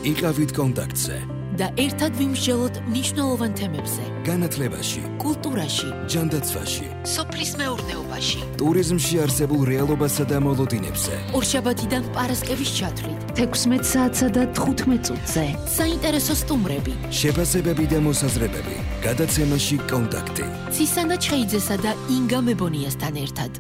იყავით კონტაქტზე და ერთად ვიმსჯელოთ მნიშვნელოვან თემებზე. განათლებაში, კულტურაში, ჯანდაცვაში, სოფლის მეურნეობაში, ტურიზმში არსებულ რეალობასა და მოლოდინებზე. ორშაბათიდან პარასკევის ჩათვლით 16 საათსა და 15 წუთზე. საინტერესო სტუმრები, შეფასებები და მოსაზრებები. გადაცემაში კონტაქტი. ცისანა ჩხეიძესა და ინგა მებონიასთან ერთად.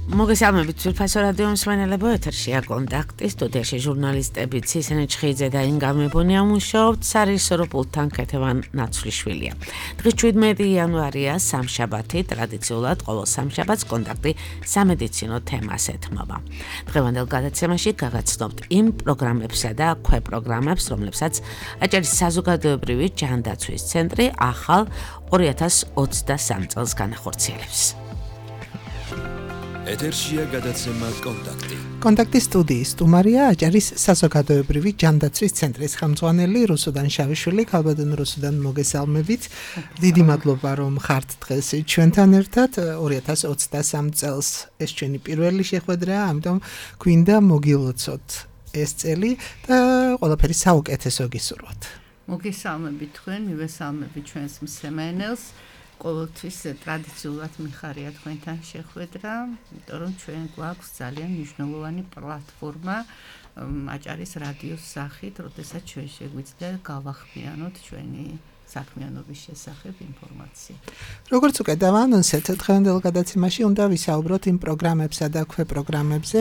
მოგესალმებით ძვირფასო რადიო მსმენელებო, ეთერშია კონტაქტი, სტუდიაში ჟურნალისტები ცისანა ჩხეიძე და ინგა მებონია მუშაობთ, სარეჟისორო პულტთან ქეთევან ნაცვლიშვილია. დღეს 17 იანვარია, სამშაბათი, ტრადიციულად ყოველ სამშაბათს კონტაქტი სამედიცინო თემას ეთმობა. დღევანდელ გადაცემაში გაგაცნობთ იმ პროგრამებსა და ქვეპროგრამებს, რომლებსაც აჭარის საზოგადოებრივი ჯანდაცვის ცენტრი ახალ 2023 წელს განახორციელებს. ეთერშია გადაცემა კონტაქტი. კონტაქტის სტუდიის სტუმარია აჭარის საზოგადოებრივი ჯანდაცვის ცენტრის ხელმძღვანელი რუსუდან შავიშვილი. ქალბატონ რუსუდან, მოგესალმებით. დიდი მადლობა რომ ხართ დღეს ჩვენთან ერთად. 2023 წელს ეს ჩვენი პირველი შეხვედრაა, ამიტომ გვინდა მოგილოცოთ ეს წელი და ყველაფერი საუკეთესო გისურვოთ. მოგესალმებით თქვენ, მივესალმებით ჩვენს მსმენელს. ყოველთვის ტრადიციულად მიხარია თქვენთან შეხვედრა, იმიტომ რომ ჩვენ გვაქვს ძალიან მნიშვნელოვანი პლატფორმა აჭარის რადიოს სახით, როდესაც ჩვენ შეგვიძლია გავახმიანოთ ჩვენი საქმიანობის შესახებ ინფორმაცია. როგორც უკვე დავაანონსეთ, დღევანდელ გადაცემაში უნდა ვისაუბროთ იმ პროგრამებსა და ქვეპროგრამებზე,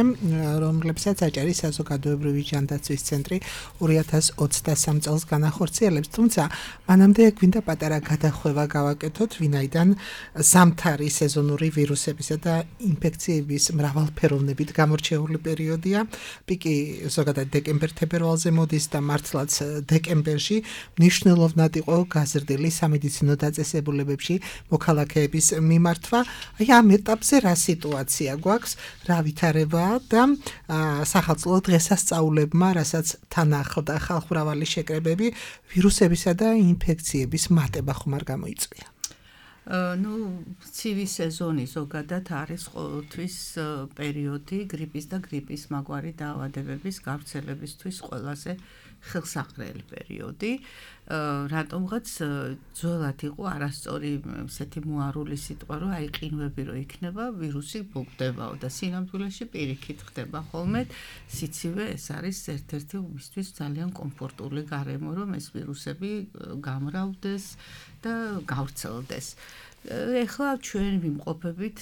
რომლებსაც აჭარის საზოგადოებრივი ჯანდაცვის ცენტრი 2023 წელს განახორციელებს. თუმცა, მანამდე გვინდა პატარა გადახვევა გავაკეთოთ, ვინაიდან ზამთარი სეზონური ვირუსებისა და ინფექციების მრავალფეროვნებით გამორჩეული პერიოდია. პიკი ზოგადად დეკემბერ-თებერვალზე მოდის და მართლაც დეკემბერში მნიშვნელოვნად იყო გაზრდილი სამედიცინო დაწესებულებებში მოქალაქეების მიმართვა. აი ამ ეტაპზე რა სიტუაცია გვაქვს, რა ვითარებაა და სახელმწიფო დღესასწაულებმა, რასაც თან ახლდა ხალხმრავალი შეკრებები, ვირუსებისა და ინფექციების მატება ხომ არ გამოიწვია? ცივი სეზონი ზოგადად არის ყოველთვის პერიოდი გრიპის და გრიპის მაგვარი დაავადებების გავრცელებისთვის ყველაზე ხელსაყრელი პერიოდი. რატომღაც ძველად იყო არასწორი ესეთი მოარული სიტყვა, რომ აი ყინვები რო იქნება, ვირუსი ბოგდებაო და სინამდვილეში პირიქით ხდება ხოლმე. სიცივე ეს არის ერთ-ერთი მისთვის ძალიან კომფორტული გარემო, რომ ეს ვირუსები გამრავლდეს და გავრცელდეს. ეხლა ჩვენ ვიმყოფებით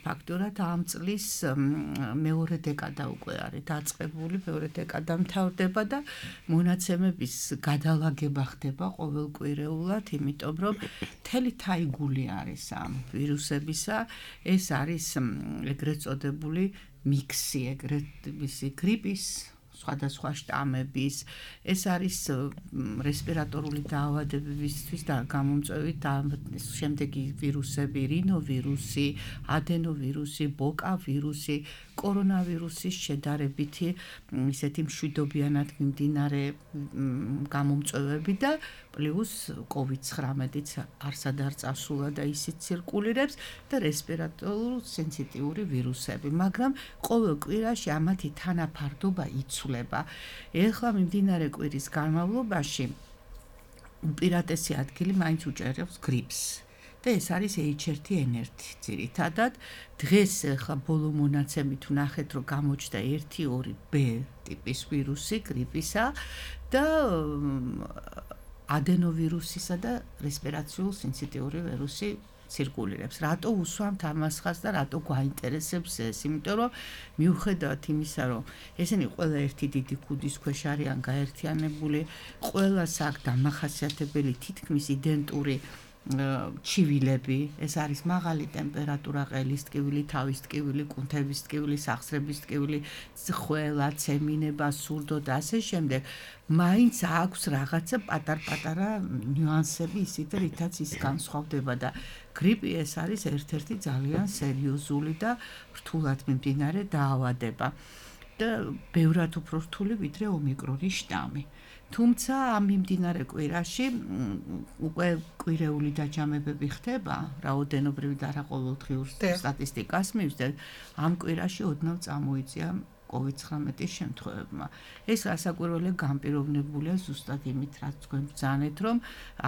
ფაქტურად ამ წლის მეორე დეკადა უკვე არის დაწყებული, მეორე დეკადა მთავრდება და მონაცემების გადალაგება ხდება ყოველკვირეულად, იმიტომ რომ მთელი თაიგული არის ამ ვირუსებისა. ეს არის ეგრეთ წოდებული მიქსი, გრიპის სხვადასხვა შტამების, ეს არის რესპირატორული დაავადებებისთვის და გამომწვევი შემდეგი ვირუსები, რინოვირუსი, ადენოვირუსი, ბოკავირუსი, კორონავირუსის შედარებითი ისეთი მშვიდობიანად მიმდინარე გამომწვევები და პლუს COVID-19-იც არსად არ წასულა და ისიც ცირკულირებს და რესპირატორულ სენსიტიური ვირუსები, მაგრამ ყოველ კვირაში ამათი თანაფარდობა იცვლება. ეხლა მიმდინარე კვირის განმავლობაში უპირატესი ადგილი მაინც უჭერავს გრიპს. და ეს არის H1N1 ძირითადად. დღეს ახლა ბოლო მონაცემით ვნახეთ, რომ გამოჩნდა 1-2 B ტიპის ვირუსი გრიპისა და ადენოვირუსისა და რესპირაციულ სენსიტიური ვირუსი ცირკულირებს. რატო უსვამთ ამას ხაზს და რატო გვაინტერესებს ეს? იმიტომ რომ მიუხედავად იმისა, რომ ესენი ყველა ერთი დიდი ქუდის ქვეშ არიან გაერთიანებული, ყველას აქვს დამახასიათებელი თითქმის იდენტური ჩივილები, ეს არის მაღალი ტემპერატურა, ყელის ტკივილი, თავის ტკივილი, კუნთების ტკივილი, სახსრების ტკივილი, ხველა, ცემინება, სურდო და ასე შემდეგ. მაინც აქვს რაღაცა პატარ-პატარა ნიუანსები ისეთ, რითაც ის განსხვავდება და გრიპი ეს არის ერთ-ერთი ძალიან სერიოზული და რთულად მიმდინარე დაავადება. და ბევრად უფრო რთული ვიდრე ომიკრონის შტამი. თუმცა ამ მიმდინარე კვირაში უკვე კვირეული დაჯამებები ხდება, რაოდენობრივი და რა ყოველდღიურ სტატისტიკას მივსდეთ, ამ კვირაში ოდნავ წამოიწია COVID-19 შემთხვევებმა. ეს რასაკვირველია განპირობებულია ზუსტად იმით, რაც თქვენ ბრძანეთ, რომ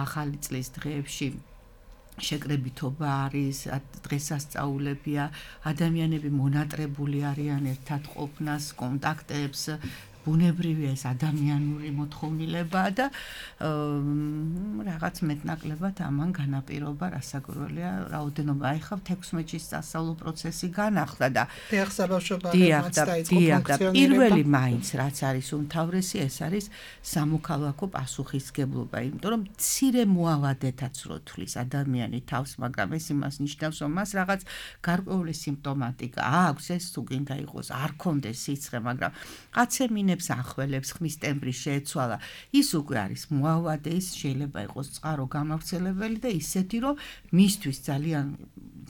ახალი წლის დღეებში შეკრებითობა არის, დღესასწაულებია, ადამიანები მონატრებული არიან ერთად ყოფნას, კონტაქტებს, ბუნებრივია ეს ადამიანური მოთხოვნილება და რაღაც მეტნაკლებად ამან განაპირობა რასაკვირველია რაოდენობა. ახლა 16-ში სასწავლო პროცესი განახლდა და დიახ, და პირველი მაინც რაც არის უმთავრესი, ეს არის სამოქალაქო პასუხისგებლობა, იმიტომ რომ მცირე მოავადეთაც რო თვლის ადამიანი თავს, მაგრამ ეს იმას ნიშნავს, რომ მას რაღაც გარკვეული სიმპტომატიკა აქვს, ეს თუ გინდა იყოს, არ კონდეს სიცხე, მაგრამ კაცემინე ახველებს ხმის ტემბრი შეეცვალა, ის უკვე არის მოავადე, ის შეიძლება იყოს წყარო გამავრცელებელი და ისეთი, რომ მისთვის ძალიან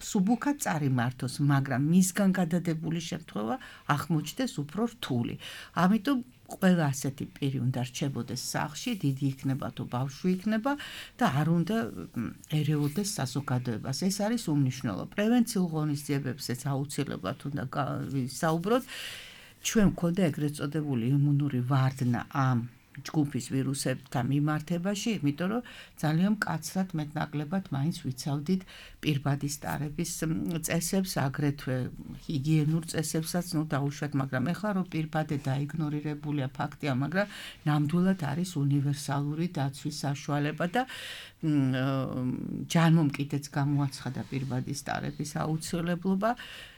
სუბუქად წარიმართოს, მაგრამ მისგან გადადებული შემთხვევა აღმოჩნდეს უფრო რთული. ამიტომ ყველა ასეთი პირი უნდა რჩებოდეს სახლში, დიდი იქნება თუ ბავშვი იქნება და არ უნდა ერეოდეს საზოგადოებას. ეს არის უმნიშვნელო. პრევენციულ ღონისძიებებსაც აუცილებლად უნდა ვისაუბროთ. ჩვენ გვქონდა ეგრეთ წოდებული იმუნური ვარდნა ამ ჯგუფის ვირუსებთან მიმართებაში, იმიტომ რომ ძალიან მკაცრად მეტნაკლებად მაინც ვიცავდით პირბადის ტარების წესებს, აგრეთვე ჰიგიენურ წესებსაც, დაუშვათ, მაგრამ ეხლა რომ პირბადე დაიგნორირებულია ფაქტია, მაგრამ ნამდვილად არის უნივერსალური დაცვის საშუალება და ჯანმომკიდეც გამოაცხადა პირბადის ტარების აუცილებლობა.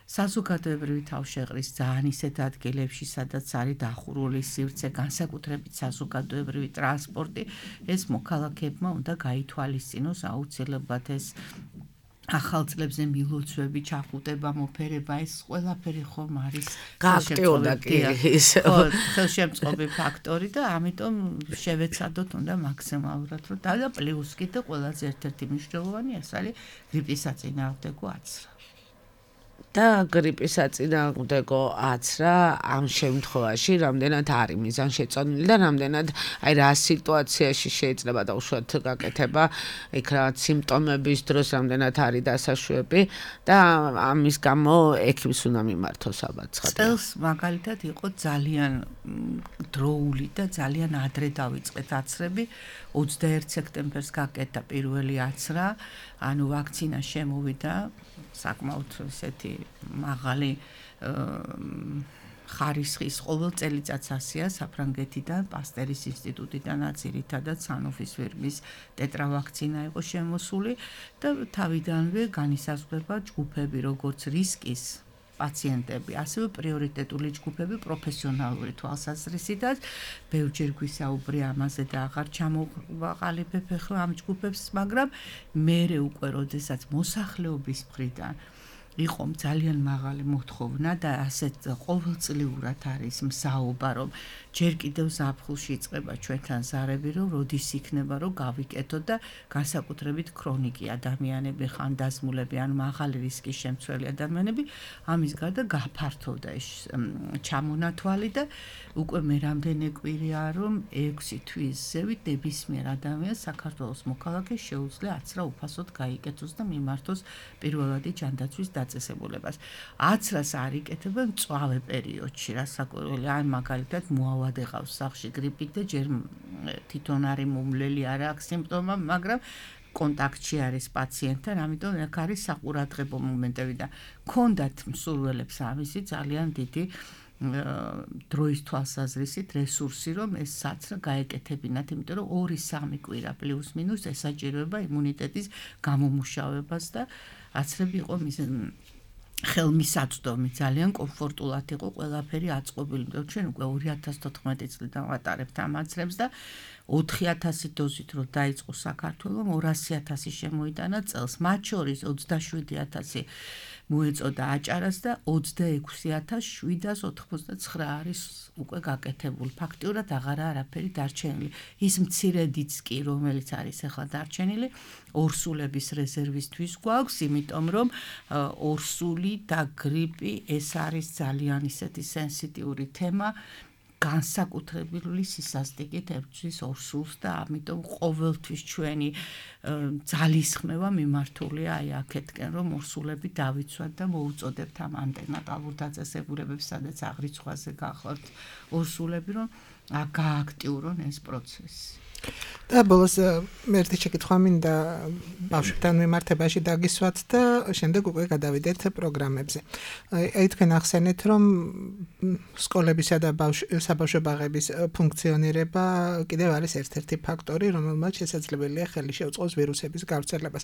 საზოგადოებრივი თავშეყრის ძალიან ისეთ ადგილებში, სადაც არის დახურული სივრცე, განსაკუთრებით საზოგადოებრივი ტრანსპორტი, ეს მოქალაქეებმა უნდა გაითვალისწინოს აუცილებლად ეს ახალ წლებზე მილოცვები, ჩახუტება, მოფერება, ეს ყველაფერი ხომ არის ხელშემწყობი ფაქტორი და ამიტომ შევეცადოთ უნდა მაქსიმალურად, რომ და პლუს კიდე ყველაზე ერთ-ერთი მნიშვნელოვანი ეს არის გრიპის საწინააღმდეგო აცრა. და გრიპის საწინააღმდეგო აცრა ამ შემთხვევაში რამდენად არის მიზანშეწონილი და რამდენად აი რა სიტუაციაში შეიძლება დაუშვათ გაკეთება იქ რა სიმპტომების დროს რამდენად არის დასაშვები და ამის გამო ექიმს უნდა მიმართოს ალბათ ცხადია. წელს მაგალითად იყო ძალიან დროული და ძალიან ადრე დავიწყეთ აცრები. 21 სექტემბერს გაკეთდა პირველი აცრა, ანუ ვაქცინა შემოვიდა საკმაოდ ესეთი მაღალი ხარისხის ყოველ წელიწადს ასია საფრანგეთიდან, პასტერის ინსტიტუტიდანაც ძირითადად სანოფის ვირმის ტეტრავაქცინა იყო შემოსული და თავიდანვე განისაზღვრება ჯგუფები, როგორც რისკის პაციენტები, ასევე პრიორიტეტული ჯგუფები პროფესიონალური თვალსაზრისითაც. ბევრჯერ გვისაუბრია ამაზე და აღარ ჩამოვაყალიბებ ახლა ამ ჯგუფებს, მაგრამ მერე უკვე როდესაც მოსახლეობის მხრიდან იყო ძალიან მაღალი მოთხოვნა და ასეთ ყოველწლიურად არის მსაობა, რომ ჯერ კიდევ ზაფხულში იწყება ჩვენთან ზარები, რომ როდის იქნება, რომ გავიკეთოთ და განსაკუთრებით ქრონიკი ადამიანები, ხანდაზმულები, ან მაღალი რისკის შემცველი ადამიანები, ამის გარდა გაფართოვდა ეს ჩამონათვალი და უკვე მე რამდენი კვირაა, რომ 6 თვის ზევით ნებისმიერ ადამიანს საქართველოს მოქალაქეს შეუძლია აცრა უფასოდ გაიკეთოს და მიმართოს პირველადი ჯანდაცვის დაწესებულებას. აცრას არ იკეთებენ მწვავე პერიოდში, რასაკვირველია, აი მაგალითად მოავადე ყავს სახლში გრიპით და ჯერ თვითონ არის მომვლელი, არ აქვს სიმპტომა, მაგრამ კონტაქტში არის პაციენტთან, ამიტომ აქ არის საყურადღებო მომენტები და ქონდათ მსურველებს ამისი ძალიან დიდი დროის თვალსაზრისით რესურსი, რომ ეს საცრა გაეკეთებინათ, იმიტომ რომ 2-3 კვირა პლუს მინუს ესაჭიროება იმუნიტეტის გამომუშავებას და აცრები იყო ხელმისაწვდომი, ძალიან კომფორტულად იყო ყველაფერი აწყობილი. ჩვენ უკვე 2014 წლიდან ვატარებთ ამ აცრებს და 4000 დოზით რო დაიწყო საქართველოს 200,000 შემოიტანა წელს, მათ შორის 27,000 მოეწოდა აჭარას და 26,789 არის უკვე გაკეთებული. ფაქტიურად აღარა არაფერი დარჩენილი. ის მცირედიც კი, რომელიც არის ახლა დარჩენილი, ორსულების რეზერვისთვის გვაქვს, იმიტომ რომ ორსული და გრიპი ეს არის ძალიან ისეთი სენსიტიური თემა. განსაკუთრებული სისასტიკით ებრძვის ორსულს და ამიტომ ყოველთვის ჩვენი ძალისხმევა მიმართულია აი აქეთკენ, რომ ორსულები დავიცვათ და მოუწოდებთ ამ ანტენატალურ დაწესებულებებს, სადაც აღრიცხვაზე გახლავთ ორსულები, რომ გააქტიურონ ეს პროცესი. და ბოლოს ერთი შეკითხვა მინდა ბავშვებთან მიმართებაში დაგისვათ და შემდეგ უკვე გადავიდეთ პროგრამებზე. აი თქვენ ახსენეთ, რომ სკოლებისა და საბავშვო ბაღების ფუნქციონირება კიდევ არის ერთ-ერთი ფაქტორი, რომელმაც შესაძლებელია ხელი შეუწყოს ვირუსების გავრცელებას.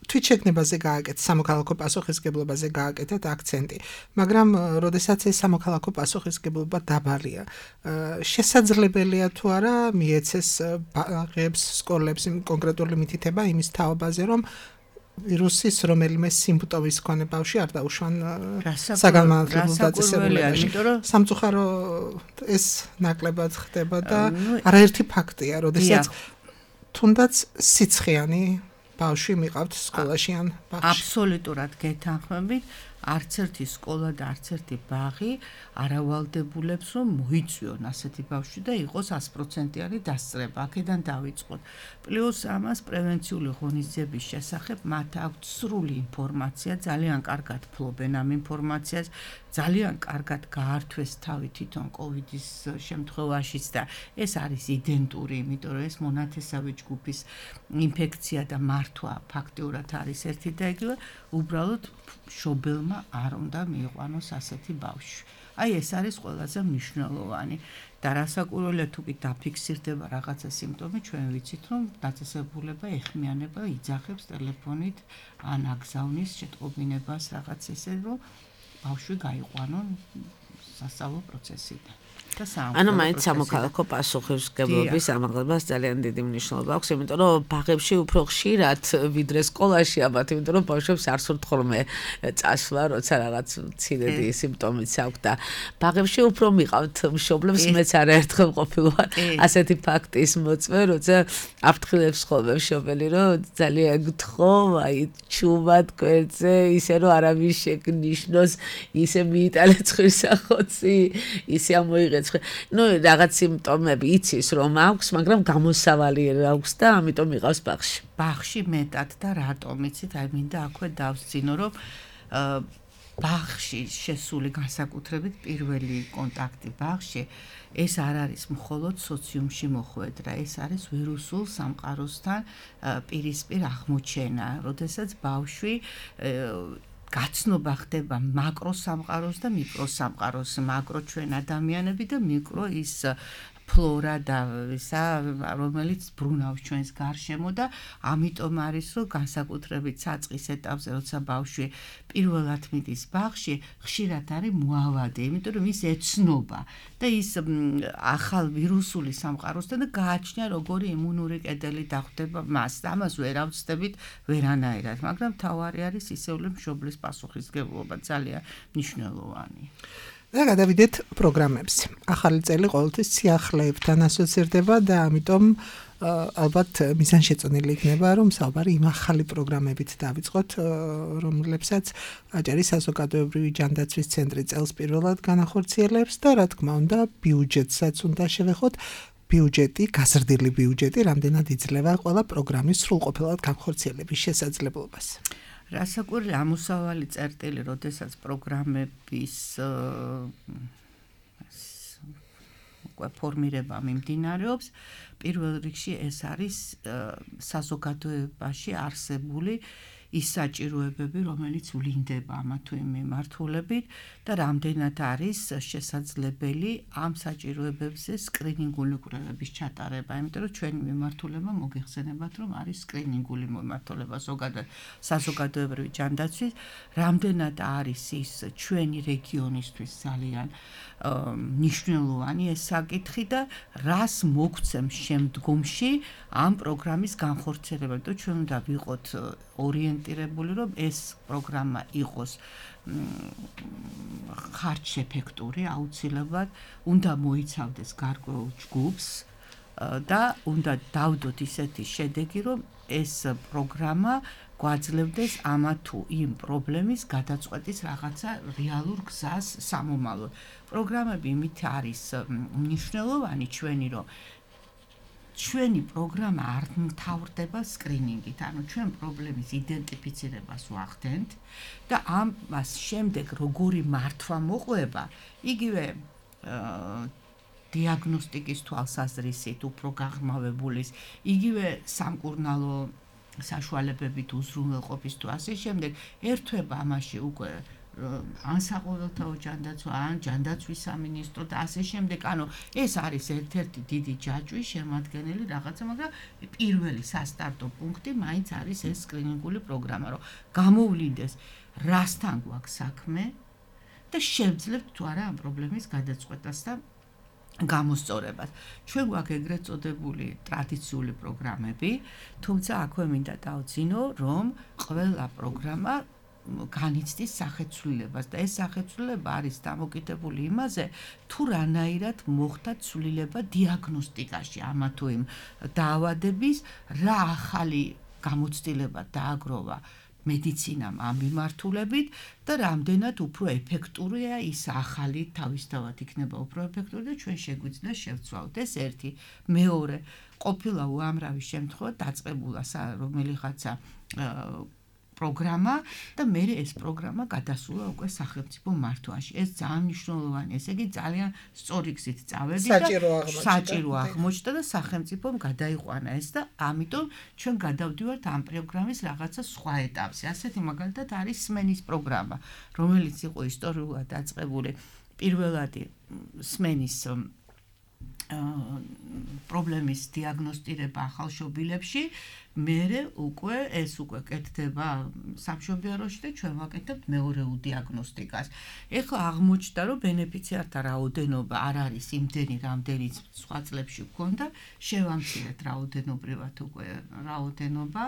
თვითშეგნებაზე გააკეთეთ, სამოქალაქო პასუხისმგებლობაზე გააკეთეთ აქცენტი, მაგრამ როდესაც ეს სამოქალაქო პასუხისმგებლობა დაბალია, შესაძლებელია თუ არა მიეცეს ბაღებს, სკოლებს კონკრეტული მითითება იმის თაობაზე, რომ ვირუსის რომელიმე სიმპტომის მქონე ბავშვი არ დაუშვან საგანმანათლებლო დაწესებულებაში. სამწუხარო ეს ნაკლებად ხდება და არაერთი ფაქტია, როდესაც თუნდაც სიცხიანი ბავშვი მიყავთ სკოლაში ან ბაღში. აბსოლუტურად გეთანხმებით, არც ერთი სკოლა და არც ერთი ბაღი არ ავალდებულებს, რომ მოიწვიონ ასეთი ბავშვი და იყოს 100%-იანი დასწრება. აქედან დავიწყოთ. პლუს ამას პრევენციული ღონისძიების შესახებ მათ აქვთ სრული ინფორმაცია, ძალიან კარგად ფლობენ ამ ინფორმაციას, ძალიან კარგად გაართვეს თავი თვითონ კოვიდის შემთხვევაშიც და ეს არის იდენტური, იმიტომ რომ ეს მონათესავე ჯგუფის ინფექცია და მართვა ფაქტიურად არის ერთი და იგივე, უბრალოდ მშობელმა არ უნდა მიიყვანოს ასეთი ბავშვი. აი ეს არის ყველაზე მნიშვნელოვანი და რასაკვირველია თუ კი დაფიქსირდება რაღაცა სიმპტომი, ჩვენ ვიცით რომ დაწესებულება ეხმიანება იძახებს ტელეფონით ან აგზავნის შეტყობინებას რაღაც ესე რომ ბავშვი გაიყვანონ სასწავლო პროცესიდან. ანუ მაინც სამოქალაქო პასუხისმგებლობის ამაღლებას ძალიან დიდი მნიშვნელობა აქვს, იმიტომ რომ ბაღებში უფრო ხშირად ვიდრე სკოლაში ამათ, იმიტომ რომ ბავშვებს არ სურთ ხოლმე წასვლა, როცა რაღაც მცირედი სიმპტომიც აქვს და ბაღებში უფრო მიყავთ მშობლებს, მეც არაერთხელ ყოფილვარ ასეთი ფაქტის მოწმე, როცა აფრთხილებს ხოლმე მშობელი, რომ ძალიან გთხოვ, აი ჩუმად გვერდზე, ისე რომ არავის შეგნიშნოს, ისე მიიტანე ცხირსახოცი, ისე ამოიღე ნუ რაღაც სიმპტომები იცის რომ აქვს, მაგრამ გამოსავალი აქვს და ამიტომ იყავს ბაღში. ბაღში მეტად და რატომ იცით? აი მინდა აქვე დავსწინო, რომ ბაღში შესული განსაკუთრებით პირველი კონტაქტი ბაღში ეს არ არის მხოლოდ სოციუმში მოხვედრა, ეს არის ვირუსულ სამყაროსთან პირისპირ აღმოჩენა, როდესაც ბავშვი გაცნობა ხდება მაკროსამყაროს და მიკროსამყაროს, მაკრო ჩვენ ადამიანები და მიკრო ის ფლორა და ისა, რომელიც ბრუნავს ჩვენს გარშემო და ამიტომ არის, რომ განსაკუთრებით საწყის ეტაპზე, როცა ბავშვი პირველად მიდის ბაღში, ხშირად არის მოავადე, იმიტომ რომ ის ეცნობა და ის ახალ ვირუსული სამყაროსთან და გააჩნია როგორი იმუნური კედელი დახვდება მას. ამას ვერ ავწდებით ვერანაირად, მაგრამ თავარი არის ისეული მშობლის პასუხისმგებლობა, ძალიან მნიშვნელოვანი. და გადავიდეთ პროგრამებზე. ახალი წელი ყოველთვის სიახლეებთან ასოცირდება და ამიტომ ალბათ მიზანშეწონილი იქნება, რომ საუბარი იმ ახალი პროგრამებით დავიწყოთ, რომლებსაც აჭარის საზოგადოებრივი ჯანდაცვის ცენტრი წელს პირველად განახორციელებს და რა თქმა უნდა, ბიუჯეტსაც უნდა შევეხოთ. ბიუჯეტი, გაზრდილი ბიუჯეტი, რამდენად იძლევა ყველა პროგრამის სრულყოფილად განხორციელების შესაძლებლობას. რასაკვირველია ამოსავალი წერტილი, როდესაც პროგრამების ფორმირება მიმდინარეობს, პირველ რიგში ეს არის საზოგადოებაში არსებული ის საჭიროებები, რომელიც ვლინდება ამა თუ იმ მიმართულებით და რამდენად არის შესაძლებელი ამ საჭიროებებზე სკრინინგული კვლევების ჩატარება, იმიტომ რომ ჩვენი მიმართულება მოგეხსენებათ, რომ არის სკრინინგული მიმართულება ზოგადად საზოგადოებრივი ჯანდაცვის, რამდენად არის ის ჩვენი რეგიონისთვის ძალიან მნიშვნელოვანი ეს საკითხი და რას მოგცემს შემდგომში ამ პროგრამის განხორციელება, და ჩვენ უნდა ვიყოთ ორიენტირებული, რომ ეს პროგრამა იყოს ხარჯშეფექტური, აუცილებლად უნდა მოიცავდეს გარკვეულ ჯგუფს და უნდა დავდოთ ისეთი შედეგი, რომ ეს პროგრამა გვაძლევდეს ამა თუ იმ პრობლემის გადაწყვეტის რაღაცა რეალურ გზას სამომავლოდ. პროგრამები იმით არის მნიშვნელოვანი ჩვენი, რომ ჩვენი პროგრამა არ მთავრდება სკრინინგით, ანუ ჩვენ პრობლემის იდენტიფიცირებას ვახდენთ და ამას შემდეგ როგორი მართვა მოყვება, იგივე დიაგნოსტიკის თვალსაზრისით უფრო გაღრმავებულის, იგივე სამკურნალო საშუალებებით უზრუნველყოფის თუ ასე შემდეგ, ერთვება ამაში უკვე ან საყოველთაო ჯანდაცვა, ან ჯანდაცვის სამინისტრო და ასე შემდეგ, ანუ ეს არის ერთ-ერთი დიდი ჯაჭვი შემადგენელი რაღაცა, მაგრამ პირველი სასტარტო პუნქტი მაინც არის ეს სკრინინგული პროგრამა, რომ გამოვლინდეს რასთან გვაქვს საქმე და შევძლებთ თუ არა ამ პრობლემის გადაწყვეტას და გამოსწორებას. ჩვენ გვაქვს ეგრეთ წოდებული ტრადიციული პროგრამები, თუმცა აქვე მინდა დავძინო, რომ ყველა პროგრამა განიცდის სახეცვლილებას და ეს სახეცვლილება არის დამოკიდებული იმაზე, თუ რანაირად მოხდა ცვლილება დიაგნოსტიკაში ამა თუ იმ დაავადების, რა ახალი გამოცდილება დააგროვა მედიცინამ ამ მიმართულებით და რამდენად უფრო ეფექტურია ის ახალი თავისთავად იქნება უფრო ეფექტური და ჩვენ შეგვიძლია შევცვალოთ. ეს ერთი. მეორე, ყოფილა უამრავი შემთხვევა დაწყებულა რომელიღაცა პროგრამა და მე ეს პროგრამა გადასულა უკვე სახელმწიფო მართვაში. ეს ძალიან მნიშვნელოვანია. ესე იგი ძალიან სწორი გზით წავედი და საჭირო აღმოჩნდა და სახელმწიფომ გადაიყვანა ეს და ამიტომ ჩვენ გადავდივართ ამ პროგრამის რაღაცა სხვა ეტაპზე. ასეთი მაგალითად არის სმენის პროგრამა, რომელიც იყო ისტორიულად დაწყებული პირველადი სმენის პრობლემის დიაგნოსტირება ახალშობილებში, მერე უკვე ეს უკვე კეთდება სამშობიაროში და ჩვენ ვაკეთებთ მეორეულ დიაგნოსტიკას. ეხლა აღმოჩნდა, რომ ბენეფიციართა რაოდენობა არ არის იმდენი, რამდენიც სხვა წლებში გვქონდა, შევამცირეთ რაოდენობრივად უკვე რაოდენობა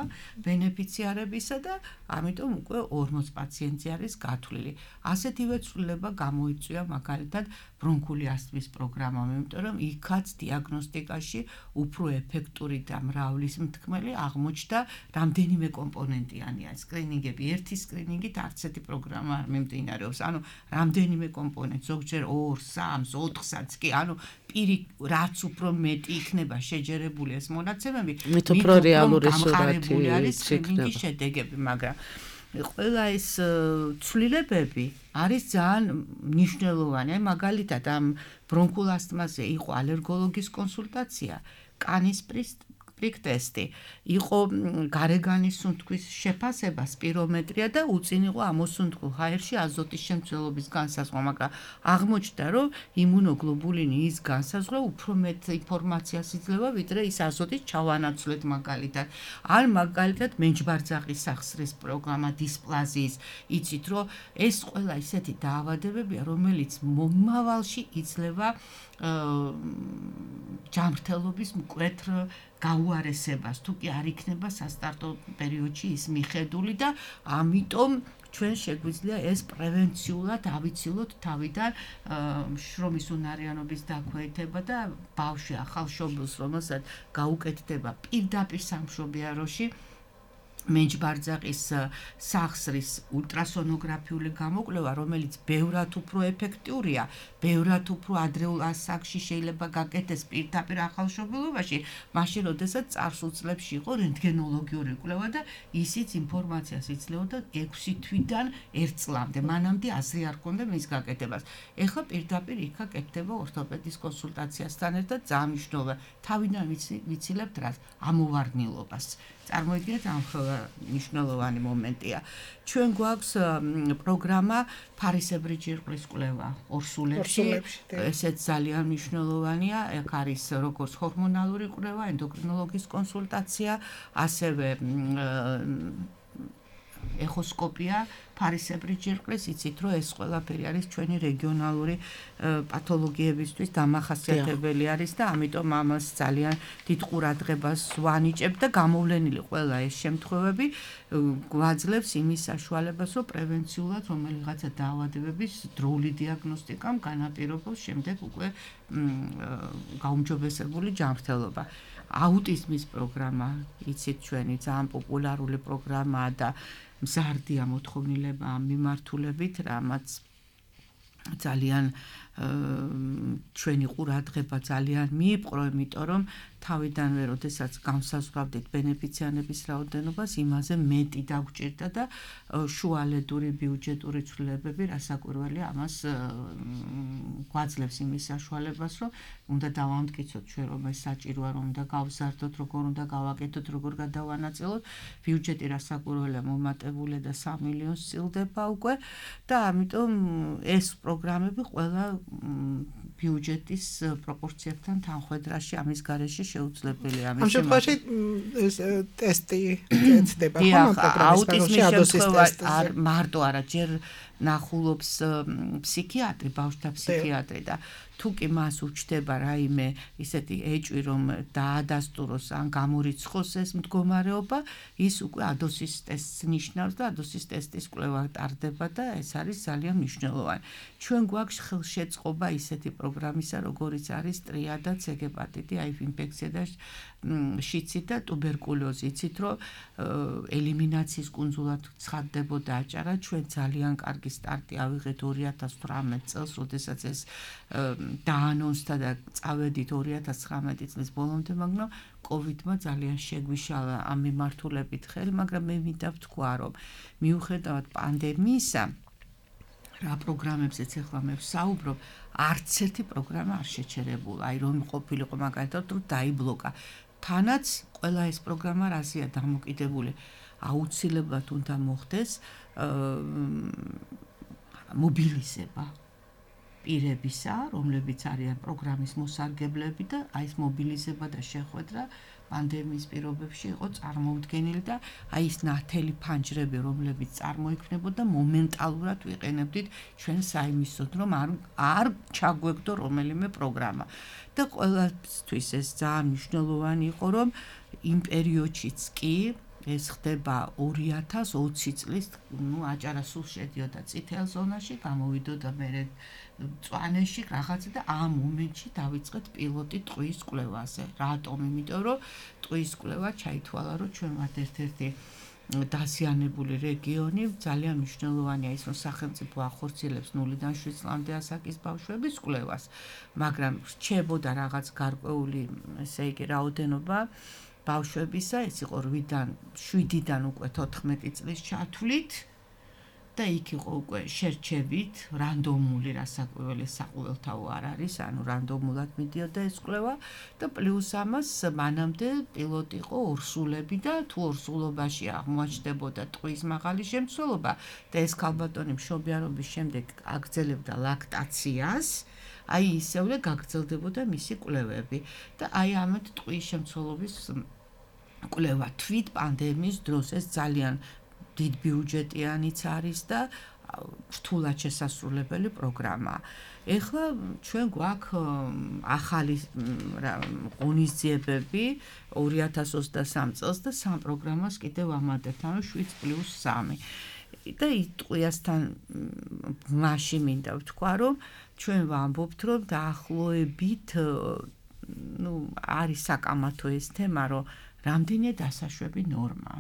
ბენეფიციარებისა და ამიტომ უკვე 40 პაციენტი არის გათვლილი. ასეთივე ცვლილება გამოიწვია მაგალითად ბრონქული ასთმის პროგრამამ, იმიტომ რომ იქაც დიაგნოსტიკაში უფრო ეფექტური და მრავლისმთქმელი აღმოჩნდა რამდენიმე კომპონენტიანია სკრინინგები. ერთი სკრინინგით არც ერთი პროგრამა არ მიმდინარეობს. ანუ რამდენიმე კომპონენტ, ზოგჯერ 2, 3, 4-საც კი, ანუ პირი რაც უფრო მეტი იქნება შეჯერებული ეს მონაცემები, მით უფრო რეალური სურათი არის სკრინინგის შედეგები, მაგრამ ყველა ეს ცვლილებები არის ძალიან მნიშვნელოვანი. აი მაგალითად ამ ბრონქულ ასთმაზე იყო ალერგოლოგის კონსულტაცია, კანის პრიკ ტესტი, იყო გარეგანის სუნთქვის შეფასება, სპირომეტრია და უწინ იყო ამოსუნთქულ ჰაერში აზოტის შემცველობის განსაზღვრა, მაგრამ აღმოჩნდა, რომ იმუნოგლობულინი ის განსაზღვრა უფრო მეტ ინფორმაციას იძლევა, ვიდრე ის აზოტის ჩავანაცვლეთ მაგალითად. ან მაგალითად მენჯბარძაღის სახსრის პროგრამა დისპლაზიის, იცით, რომ ეს ყველა ისეთი დაავადებებია, რომელიც მომავალში იძლევა ჯანმრთელობის მკვეთრ გაუარესებას, თუ კი არ იქნება სასტარტო პერიოდში ის მიხედული და ამიტომ ჩვენ შეგვიძლია ეს პრევენციულად ავიცილოთ თავიდან შრომის უნარიანობის დაქვეითება და ბავშვი ახალშობილს, რომელსაც გაუკეთდება პირდაპირ სამშობიაროში მენჯბარძაღის სახსრის ულტრასონოგრაფიული გამოკვლევა, რომელიც ბევრად უფრო ეფექტურია, ბევრად უფრო ადრეულ ასაკში შეიძლება გაკეთდეს პირდაპირ ახალშობილობაში, მაშინ როდესაც წარსულ წლებში იყო რენტგენოლოგიური კვლევა და ისიც ინფორმაციას იძლეოდა 6 თვიდან 1 წლამდე, მანამდე აზრი არ ჰქონდა მის გაკეთებას. ეხლა პირდაპირ იქა კეთდება ორთოპედის კონსულტაციასთან ერთად ძალიან მნიშვნელოვანია. თავიდან ვიცილებთ რას? ამოვარდნილობას. წარმოიდგინეთ ამ მნიშვნელოვანი მომენტია. ჩვენ გვაქვს პროგრამა ფარისებრი ჯირკვლის კვლევა ორსულებში. ესეც ძალიან მნიშვნელოვანია. აქ არის როგორც ჰორმონალური კვლევა, ენდოკრინოლოგის კონსულტაცია, ასევე ეხოსკოპია ფარისებრი ჯირკვლის, იცით რომ ეს ყველაფერი არის ჩვენი რეგიონალური პათოლოგიებისთვის დამახასიათებელი არის და ამიტომ ამას ძალიან დიდ ყურადღებას ვანიჭებ და გამოვლენილი ყველა ეს შემთხვევები გვაძლევს იმის საშუალებას, რომ პრევენციულად რომელიღაცა დაავადებების დროული დიაგნოსტიკამ განაპირობოს შემდეგ უკვე გაუმჯობესებული ჯანმრთელობა. აუტიზმის პროგრამა, იცით ჩვენი ძალიან პოპულარული პროგრამაა და მზარდია მოთხოვნილება ამ მიმართულებით, რამაც ძალიან ჩვენი ყურადღება ძალიან მიიპყრო, იმიტომ რომ თავიდანვე, როდესაც განსაზღვრავდით ბენეფიციანების რაოდენობას, იმაზე მეტი დაგვჭირდა და შუალედური ბიუჯეტური ცვლილებები რასაკვირველია ამას გვაძლევს იმის საშუალებას, რომ უნდა დავამტკიცოთ ჩვენ, რომ ეს საჭიროა, რომ უნდა გავზარდოთ, როგორ უნდა გავაკეთოთ, როგორ გადავანაწილოთ. ბიუჯეტი რასაკვირველია მომატებულია და 3 მილიონს წილდება უკვე და ამიტომ ეს პროგრამები ყველა ბიუჯეტის პროპორციებთან თანხვედრაში ამის გარეშე შეუძლებელია. ამ შემთხვევაში ეს ტესტი ეცდება ხომ აუტიზმის შემთხვევა არ მარტო არა, ჯერ ნახულობს ფსიქიატრი, ბავშვთა ფსიქიატრი და თუ კი მას უჩდება რაიმე ისეთი ეჭვი, რომ დაადასტუროს ან გამორიცხოს ეს მდგომარეობა, ის უკვე ადოსის ტესტს ნიშნავს და ადოსის ტესტის კვლევა ტარდება და ეს არის ძალიან მნიშვნელოვანი. ჩვენ გვაქვს ხელშეწყობა ისეთი პროგრამისა, როგორიც არის ტრია და C ჰეპატიტი, HIV ინფექცია და შიცი და ტუბერკულოზი. იცით რომ ელიმინაციის კუნძულად ცხადდებოდა აჭარა, ჩვენ ძალიან კარგი სტარტი ავიღეთ 2018 წელს, როდესაც ეს დაანონსდა და წავედით 2019 წლის ბოლომდე, მაგრამ კოვიდმა ძალიან შეგვიშალა ამ მიმართულებით ხელი, მაგრამ მე მინდა ვთქვა, რომ მიუხედავად პანდემიისა, რა პროგრამებზეც ახლა მე ვსაუბრობ, არც ერთი პროგრამა არ შეჩერებულა, აი რომ ყოფილიყო მაგალითად რომ დაიბლოკა. თანაც ყველა ეს პროგრამა რაზეა დამოკიდებული, აუცილებლად უნდა მოხდეს მობილიზება პირებისა, რომლებიც არიან პროგრამის მოსარგებლები და აი ეს მობილიზება და შეხვედრა პანდემიის პირობებში იყო წარმოუდგენელი და აი ეს ნათელი ფანჯრები, რომლებიც წარმოიქმნებოდა მომენტალურად ვიყენებდით ჩვენ საიმისოდ, რომ არ ჩაგვეგდო რომელიმე პროგრამა. და ყველასთვის ეს ძალიან მნიშვნელოვანი იყო, რომ იმ პერიოდშიც კი ეს ხდება 2020 წლის, აჭარა სულ შედიოდა წითელ ზონაში, გამოვიდოდა მერე მწვანეში რაღაცა და ამ მომენტში დავიწყეთ პილოტი ტყვის კვლევაზე. რატომ? იმიტომ რომ ტყვის კვლევა ჩაითვალა, რომ ჩვენ ვართ ერთ-ერთი დაზიანებული რეგიონი, ძალიან მნიშვნელოვანია ის, რომ სახელმწიფო ახორციელებს 0-დან 7 წლამდე ასაკის ბავშვების კვლევას, მაგრამ რჩებოდა რაღაც გარკვეული, ესე იგი, რაოდენობა ბავშვებისა, ეს იყო 8-დან 7-დან უკვე 14 წლის ჩათვლით და იქ იყო უკვე შერჩებით, რანდომული რასაკვირველი საყოველთაო არ არის, ანუ რანდომულად მიდიოდა ეს კვლევა და პლუს ამას მანამდე პილოტი იყო ორსულები და თუ ორსულობაში აღმოაჩნდებოდა ტყვის მაღალი შემცველობა და ეს ქალბატონი მშობიარობის შემდეგ აგრძელებდა ლაქტაციას, აი ისევე გაგრძელდებოდა მისი კვლევები და აი ამით ტყვის შემცველობის კვლევა თვით პანდემიის დროს ეს ძალიან დიდ ბიუჯეტიანიც არის და რთულად შესასრულებელი პროგრამაა. ეხლა ჩვენ გვაქვს ახალი ღონისძიებები 2023 წელს და 3 პროგრამას კიდევ ამატებთ, ანუ 7+3. და ტყვიასთან მაშინ მინდა ვთქვა, რომ ჩვენ ვამბობთ, რომ დაახლოებით არის საკამათო ეს თემა, რომ რამდენია დასაშვები ნორმა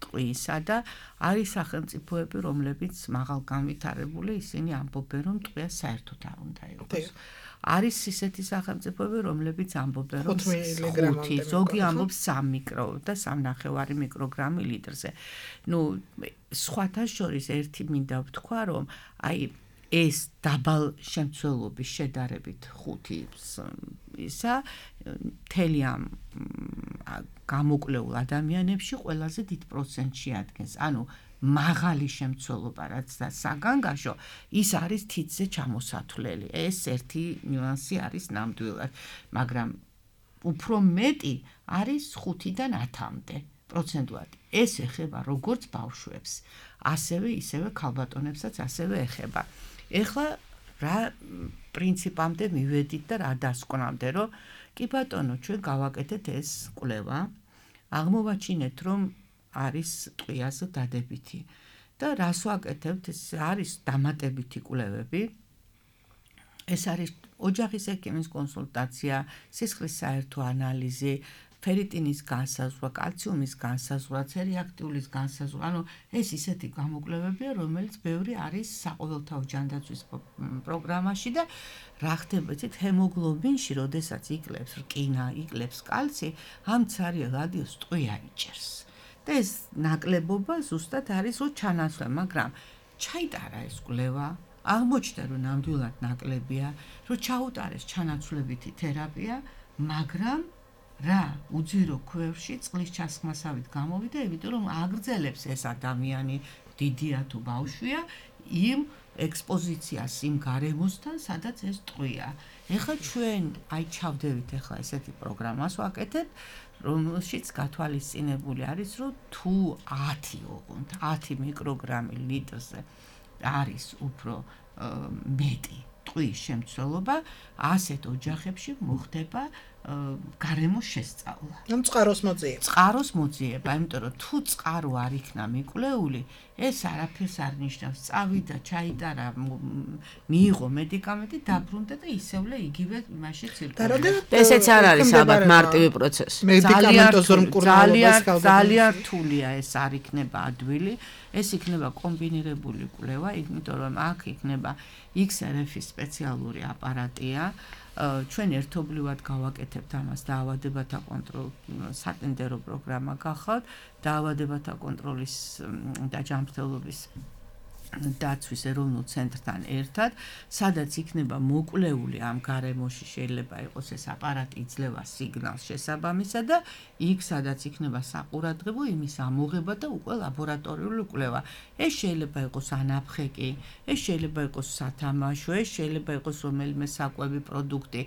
ტყვისა და არის სახელმწიფოები, რომლებიც მაღალ განვითარებული, ისინი ამბობენ, რომ ტყვია საერთოდ არ უნდა იყოს. არის ისეთი სახელმწიფოები, რომლებიც ამბობენ, რომ 5, ზოგი ამბობს 3 მიკრო და 3.5 მიკროგრამი litrზე. სხვათა შორის ერთი მინდა ვთქვა, რომ აი ეს დაბალ შემცველობის შედარებით 5 ისა მთელი ამ გამოკვლეულ ადამიანებში ყველაზე დიდ პროცენტში ადგენს. ანუ მაღალი შემცველობა, რაც და საგანგაშო, ის არის თითზე ჩამოსათვლელი. ეს ერთი ნიუანსი არის ნამდვილად, მაგრამ უფრო მეტი არის 5-დან 10-მდე პროცენტულად. ეს ეხება როგორც ბავშვებს, ასევე ისევე ქალბატონებსაც ასევე ეხება. ეხლა რა პრინციპამდე მივედით და რა დასკვნამდე, რომ კი ბატონო, ჩვენ გავაკეთეთ ეს კვლევა, აღმოვაჩინეთ, რომ არის ტყვიაზე დადებითი და რას ვაკეთებთ, ეს არის დამატებითი კვლევები. ეს არის ოჯახის ექიმის კონსულტაცია, სისხლის საერთო ანალიზი, ფერიტინის განსაზღვრა, კალციუმის განსაზღვრა, ცერიაქტიულის განსაზღვრა, ანუ ეს ისეთი გამოკვლევებია, რომელიც ბევრი არის საყოველთაო ჯანდაცვის პროგრამაში და რა ხდება, იცით, ჰემოგლობინში, როდესაც იკლებს რკინა, იკლებს კალცი, ამ ცარიელ რადიოს ტყვია იჭერს. და ეს ნაკლებობა ზუსტად არის რო ჩანაცვლე, მაგრამ ჩაიტარა ეს კვლევა, აღმოჩნდა, რომ ნამდვილად ნაკლებია, რომ ჩაუტარეს ჩანაცვლებითი თერაპია, მაგრამ რა უძირო ქვევში წყლის ჩასხმასავით გამოვიდა, იმიტომ რომ აგრძელებს ეს ადამიანი, დიდია თუ ბავშვია, იმ ექსპოზიციას იმ გარემოსთან, სადაც ეს ტყვია. ეხლა ჩვენ აი ჩავდებით ეხლა ესეთი პროგრამას ვაკეთებ, რომელშიც გათვალისწინებული არის, რომ თუ 10 ოღონდ 10 მიკროგრამი litrზე არის უფრო მეტი ტყვის შემცველობა, ასეთ ოჯახებში მოხდება გარემოს შესწავლა. ანუ წყაროს მოძიება. წყაროს მოძიება, იმიტომ რომ თუ წყარო არ იქნა მიკვლეული, ეს არაფერს არ ნიშნავს. წავიდა, ჩაიტარა, მიიღო მედიკამენტი, დაბრუნდა და ისევ იგივე იმაში ცირკულირდება. ესეც არ არის ალბათ მარტივი პროცესი. მედიკამენტოზურ მკურნალობას ძალიან რთულია ეს არ იქნება ადვილი, ეს იქნება კომბინირებული კვლევა, იმიტომ რომ აქ იქნება XRF-ის სპეციალური აპარატია. ჩვენ ერთობლივად გავაკეთებთ ამას დაავადებათა სატენდერო პროგრამა გახავთ, დაავადებათა კონტროლის და ჯანმრთელობის დაცვის ეროვნულ ცენტრთან ერთად, სადაც იქნება მოკვლეული ამ გარემოში, შეიძლება იყოს ეს აპარატი იძლევა სიგნალს შესაბამისად და იქ სადაც იქნება საყურადღებო იმის ამოღება და უკვე ლაბორატორიული კვლევა. ეს შეიძლება იყოს ანაფხეკი, ეს შეიძლება იყოს სათამაშო, ეს შეიძლება იყოს რომელიმე საკვები პროდუქტი.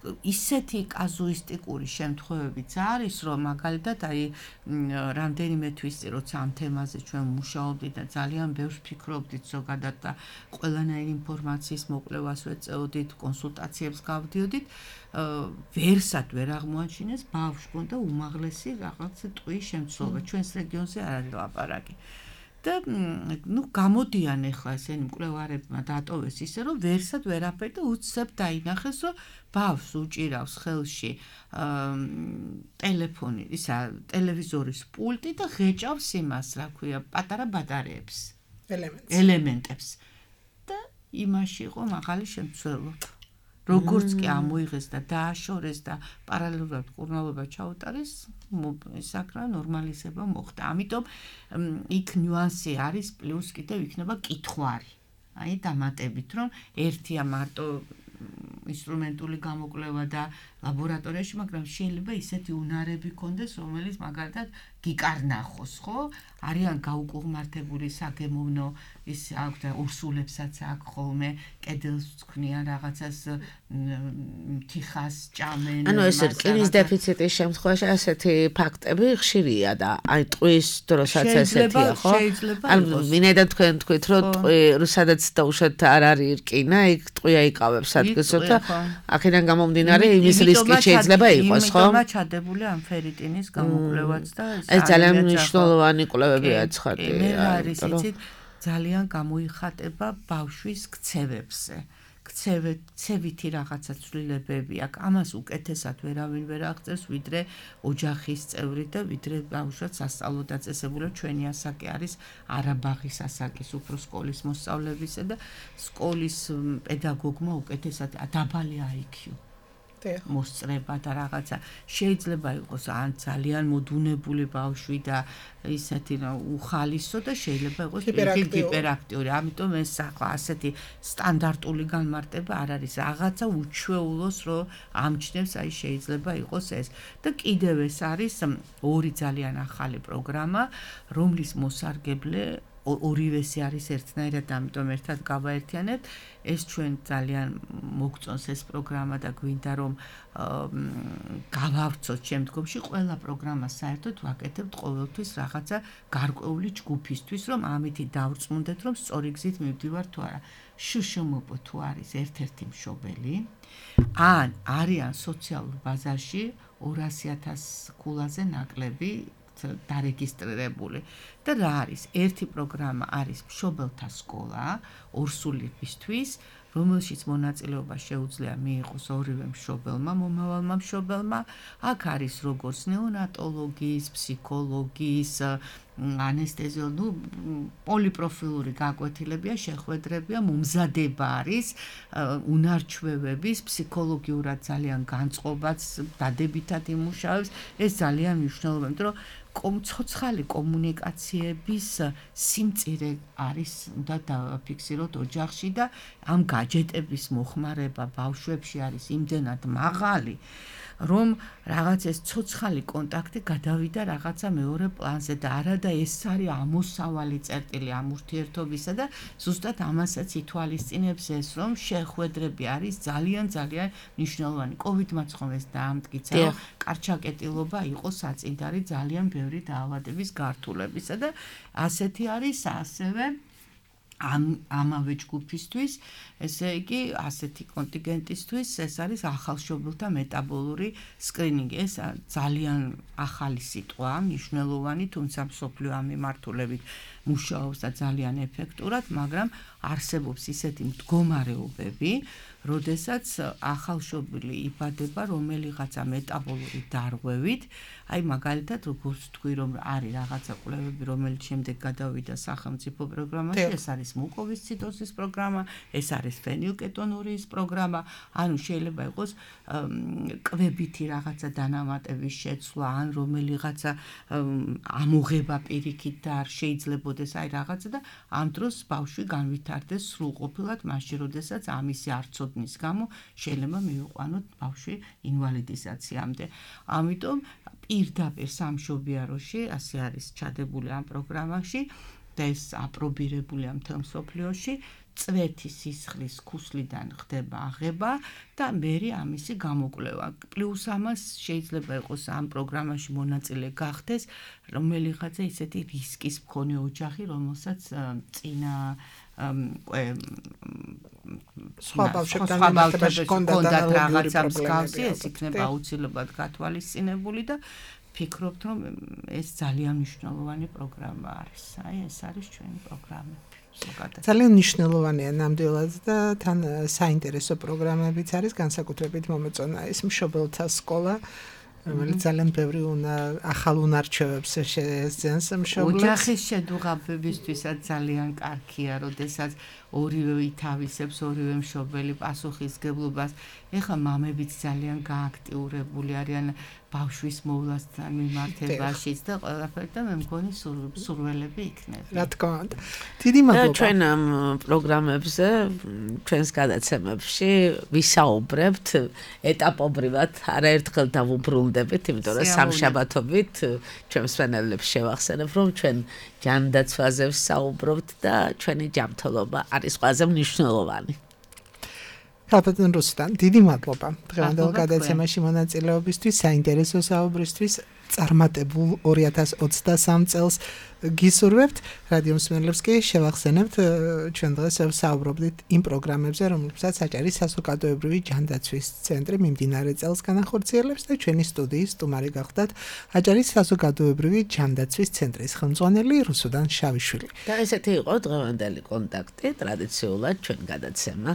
ისეთი კაზუისტიკური შემთხვევებიც არის, რომ მაგალითად აი რამდენიმე თვის წინ როცა ამ თემაზე ჩვენ მუშაობდით და ძალიან ბევრს ფიქრობდით ზოგადად და ყველანაირი ინფორმაციის მოკვლევას ვეწეოდით, კონსულტაციებს გავდიოდით, ვერსად ვერ აღმოაჩინეს ბავშვს ჰქონდა უმაღლესი რაღაც ტყვის შემცველობა. ჩვენს რეგიონზე არ არის ლაპარაკი. და გამოდიან ახლა ესენი მკვლევარებმა დატოვეს ისე, რომ ვერსად ვერაფერ და უცებ დაინახეს, რომ ბავშვს უჭირავს ხელში ტელეფონი, ისა ტელევიზორის პულტი და ღეჭავს იმას, რა ქვია, პატარა ბატარეებს, ელემენტებს. და იმაში იყო მაღალი შემცველობა. როგორც კი ამოიღეს და დააშორეს და პარალელურად მკურნალობა ჩაუტარეს, საკრა ნორმალიზება მოხდა. ამიტომ იქ ნიუანსი არის, პლუს კიდევ იქნება კითხვარი. აი დამატებით, რომ ერთია მარტო ინსტრუმენტული გამოკვლევა და ლაბორატორიაში, მაგრამ შეიძლება ისეთი უნარები ქონდეს, რომელიც მაგალითად გიკარნახოს, ხო? არიან გაუკუღმართებული საგემოვნო ის აქვს და ურსულებსაც აქვს ხოლმე, კედელს ვქნიან რაღაცას თიხას ჭამენ. ანუ ეს რკინის დეფიციტის შემთხვევაში ასეთი ფაქტები ხშირია და აი ტყვის დროსაც ესეთია, ხო? ანუ მინდა თქვენ თქვით, რომ სადაც დაუშვათ არ არის რკინა, იქ ტყვია იკავებს ადგილს და აქედან გამომდინარე იმის რისკი შეიძლება იყოს, ხო? იმიტომ ჩადებული ამ ფერიტინის გამოკვლევაც და ეს ძალიან მნიშვნელოვანი კვლევებია ცხადია. მე არის იცით ძალიან გამოიხატება ბავშვის ქცევებზე. ქცევითი რაღაცა ცვლილებები აქვს. ამას უკეთესად ვერავინ ვერ აღწერს, ვიდრე ოჯახის წევრი და ვიდრე ბავშვად სასწავლო დაწესებულა. ჩვენი ასაკი არის არაბაღის ასაკის უფრო სკოლის მოსწავლეებისა და სკოლის პედაგოგმა უკეთესად დაბალი IQ მოსწრება და რაღაცა შეიძლება იყოს ან ძალიან მოდუნებული ბავშვი და ისეთი უხალისო და შეიძლება იყოს ჰიპერაქტიული. ამიტომ ეს ახლა ასეთი სტანდარტული განმარტება არ არის. რაღაცა უჩვეულოს რომ ამჩნევს, აი შეიძლება იყოს ეს. და კიდევ ეს არის ორი ძალიან ახალი პროგრამა, რომლის მოსარგებლე ორივესი არის ერთნაირად, ამიტომ ერთად გავაერთიანებთ. ეს ჩვენ ძალიან მოგწონს ეს პროგრამა და გვინდა რომ გავავრცოთ შემდგომში ყველა პროგრამას საერთოდ ვაკეთებთ ყოველთვის რაღაცა გარკვეული ჯგუფისთვის, რომ ამითი დავრწმუნდეთ, რომ სწორი გზით მივდივართ თუ არა. შშმპ თუ არის ერთ-ერთი მშობელი, ან არიან სოციალურ ბაზარში 200,000 ქულაზე ნაკლები დარეგისტრირებული და რა არის? ერთი პროგრამა არის მშობელთა სკოლა ორსულისთვის, რომელშიც მონაწილეობა შეუძლია მიიღოს ორივე მშობელმა, მომავალმა მშობელმა. აქ არის როგორც ნეონატოლოგის, ფსიქოლოგის, ანესთეზიოლოგის, პოლიპროფილური გაკვეთილებია, შეხვედრებია, მომზადება არის უნარჩვევების, ფსიქოლოგიურად ძალიან განწყობაც, დადებითად იმუშავებს. ეს ძალიან მნიშვნელოვანია, იმიტომ რომ ცოცხალი კომუნიკაციების სიმწირე არის, უნდა დავაფიქსიროთ ოჯახში და ამ გაჯეტების მოხმარება ბავშვებში არის იმდენად მაღალი, რომ რაღაც ეს ცოცხალი კონტაქტი გადავიდა რაღაცა მეორე პლანზე და არადა ეს არის ამოსავალი წერტილი ამ ურთიერთობისა და ზუსტად ამასაც ითვალისწინებს ეს, რომ შეხვედრები არის ძალიან მნიშვნელოვანი. COVID-მაც ხომ ეს დაამტკიცა, რომ კარჩაკეტილობა იყო საწინდარი ძალიან ბევრი დაავადების გართულებისა და ასეთი არის ასევე ამავე ჯგუფისთვის, ესე იგი, ასეთი კონტინგენტისთვის ეს არის ახალშობილთა მეტაბოლური სკრინინგი. ეს ძალიან ახალი სიტყვა, მნიშვნელოვანი, თუმცა მსოფლიო ამ მიმართულებით მუშაობს და ძალიან ეფექტურად, მაგრამ არსებობს ისეთი მდგომარეობები, როდესაც ახალშობილი იბადება რომელიღაცა მეტაბოლური დარღვევით, აი მაგალითად როგორც თქვი რომ არის რაღაცა კვლევები, რომელიც შემდეგ გადავიდა სახელმწიფო პროგრამაში, ეს არის მუკოვისციდოზის პროგრამა, ეს არის ფენილკეტონურიის პროგრამა, ანუ შეიძლება იყოს კვებითი რაღაცა დანამატების შეცვლა, ან რომელიღაცა ამოღება პირიქით და არ შეიძლებოდეს აი რაღაცა და ამ დროს ბავშვი განვითარდეს სრულყოფილად მაშინ, როდესაც ამისი არცოდნის გამო შეიძლება მივიყვანოთ ბავშვი ინვალიდიზაციამდე. ამიტომ პირდაპირ სამშობიაროში ასე არის ჩადებული ამ პროგრამაში და ეს აპრობირებულია მთელ მსოფლიოში. წვეთი სისხლის ქუსლიდან ხდება აღება და მერე ამისი გამოკვლევა. პლუს ამას შეიძლება იყოს ამ პროგრამაში მონაწილე გახდეს რომელიღაცა ისეთი რისკის მქონე ოჯახი, რომელსაც წინა სხვა ბავშვებთან კონდათ რაღაცა მსგავსი, ეს იქნება აუცილებლად გათვალისწინებული და ფიქრობთ, რომ ეს ძალიან მნიშვნელოვანი პროგრამა არის. აი, ეს არის ჩვენი პროგრამები. ძალიან მნიშვნელოვანია ნამდვილად და თან საინტერესო პროგრამებიც არის, განსაკუთრებით მომეწონა ეს მშობელთა სკოლა, რომელიც ძალიან ბევრი ახალ უნარჩვევებს შეეძენს მშობლებს. ოჯახის შედუღაბებისთვისაც ძალიან კარგია, როდესაც ორივე ითავისებს ორივე მშობელი პასუხისგებლობას. ეხლა მამებიც ძალიან გააქტიურებული არიან ბავშვის მოვლასთან მიმართებაშიც და ყველაფერი და მე მგონი სურველები იქნება. რა თქმა უნდა. დიდი მადლობა. ჩვენ ამ პროგრამებზე, ჩვენს გადაცემებში ვისაუბრებთ ეტაპობრივად, არაერთხელ დავუბრუნდებით, იმიტომ რომ სამშაბათობით ჩვენ მსმენელებს შევახსენებ, რომ ჩვენ ჯანდაცვაზე ვსაუბრობთ და ჩვენი ჯანმრთელობა არის ყველაზე მნიშვნელოვანი. ქალბატონ რუსტან, დიდი მადლობა დღევანდელ გადაცემაში მონაწილეობისთვის, საინტერესო საუბრისთვის. წარმატებულ 2023 წელს გისურვებთ. რადიო მსმენელებს კი შევახსენებთ, ჩვენ დღეს ვსაუბრობდით იმ პროგრამებზე, რომლებსაც საჭირო საზოგადოებრივი ჯანდაცვის ცენტრი მიმდინარე წელს განახორციელებს და ჩვენი სტუდიის სტუმარი გახდათ აჭარის საზოგადოებრივი ჯანდაცვის ცენტრის ხელმძღვანელი რუსუდან შავიშვილი. და ესეთი იყო დღევანდელი კონტაქტი, ტრადიციულად ჩვენ გადაცემა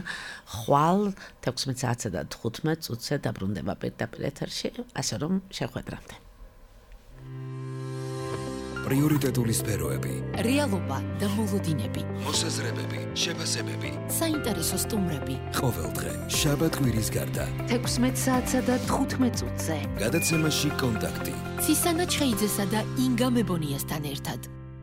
ხვალ 16:15 და 15 წუთზე დაბრუნდება პირდაპირ ეთერში, ასე რომ შეხვედრამდე. პრიორიტეტული სფეროები, რეალობა და მოლოდინები, მოსაზრებები, შეფასებები, საინტერესო სტუმრები. ყოველდღე შაბათ-კვირის გარდა 16 საათსა და 15 წუთზე. გადაცემაში კონტაქტი. ცისანა ჩხეიძესა და ინგა მებონიასთან ერთად.